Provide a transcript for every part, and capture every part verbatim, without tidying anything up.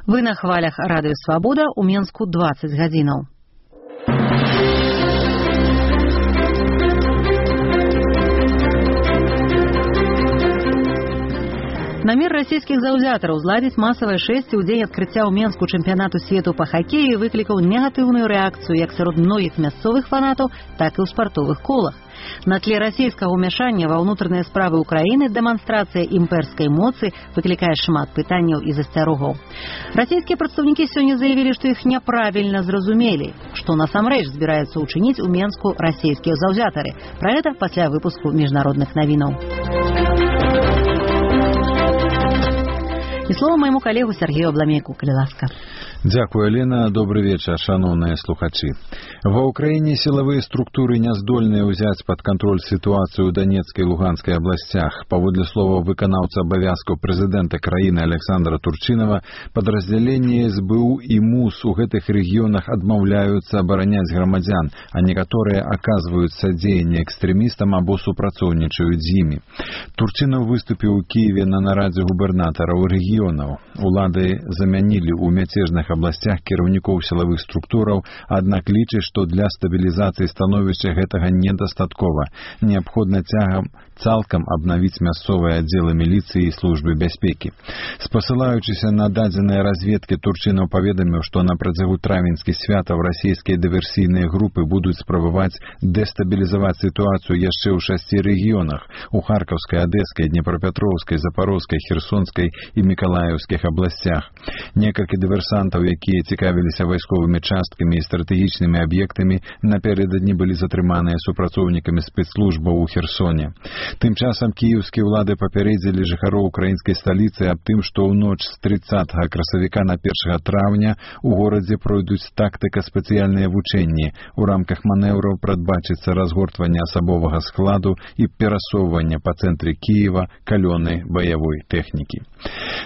Вы на хвалях Радыё Свабода, у Менску дваццаць гадзінаў. Намер расійскіх заўзятараў зладзіць масавае шэсце ў дзень адкрыцця ў Менску чэмпіянату свету па хакеі выклікаў негатыўную рэакцыю як сярод многіх мясцовых фанатаў, так і ў спартовых колах. На тле расійскага ўмяшання ва ўнутраныя справы ўкраіны дэманстрацыя імперскай моцы выклікае шмат пытанняў і засцярогаў. Расійскія прадстаўнікі сёння заявілі, што іх няправільна зразумелі, што насамрэч збіраюцца ўчыніць у Менску расійскія заўзятары. Пра гэта пасля выпуску міжнародных навінаў. І слова майму калегу Сергею Абламейку, калі ласка. Дзякую, Алена. Добрый вечер, шановные слухачи. Ва Украине силовые структуры не здольные взять под контроль ситуацию в Донецкой и Луганской областях. Паводле слова выканаўца абавязкаў президента краіны Александра Турчинова, подразделения эс бэ у и МУС у гэтых регионах адмаўляются оборонять громадян, а некоторые оказывают содеяние экстремистам або супрацоўнічаюць з імі. Турчинов выступил в Киеве на нарадзе губернаторов регионов. Улады замянили у мяцежных областях кіраўнікоў сілавых структураў, аднак лічыць, што для стабілізацыі становішча гэтага недастаткова. Неабходна цягам цалкам абнавіць мясцовыя аддзелы міліцыі і службы бяспекі. Спасылаючыся на дадзеныя разведкі, Турчынаў паведаміў, што на працягу травеньскіх святаў расійскія дыверсійныя групы будуць спрабаваць дэстабілізаваць сітуацыю яшчэ ў шасці рэгіёнах – у Харкаўскай, Адэскай, Днепрапетроўскай, Запорозскай, Херсонскай і Мікалаеўскіх абласцях. Некалькі дыверсантаў, якія цікавіліся вайсковымі часткамі і стратэгічнымі аб'ектамі, напярэдадні былі затрыманыя супрацоўнікамі спецслужбаў у Херсоне. Тым часам кіеўскія ўлады папярэдзілі жыхароў украінскай сталіцы аб тым, што ў ноч з трыццатага красавіка на першага траўня у горадзе пройдуць тактыка-спецыяльныя вучэнні. У рамках манеўраў прадбачыцца разгортванне асабовага складу і перасоўванне па цэнтры Кіева калёнай баявой тэхнікі.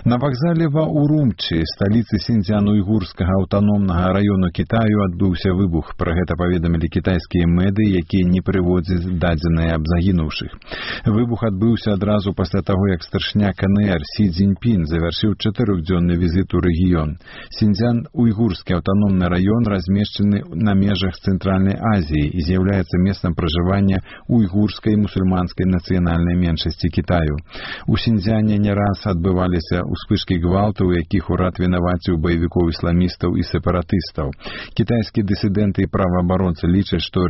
На вакзале ва Урумчы, сталіцы Сіньцзян-Уйгурскага аўтаномнага раёну Кітаю, адбыўся выбух. Пра гэта паведамілі кітайскія меды, якія не прыводзяць дадзеныя аб загінуўшых. Выбух адбыўся адразу пасля таго, як старшыня ка эн эр Сі Цзіньпін завяршыў чатырохдзённы візіт у рэгіён. Сіньцзян-Уйгурскі аўтаномны раён размешчаны на межах Цэнтральнай Азіі і з'яўляецца месцам пражывання уйгурскай мусульманскай нацыянальнай меншасці Кітаю. У Сіньцзяне не раз адбываліся ўспышкі гвалту, у якіх урад вінаваціў баевікоў ісламістаў і сепаратыстаў. Кітайскія дысідэнты і праваабаронцы лічаць, што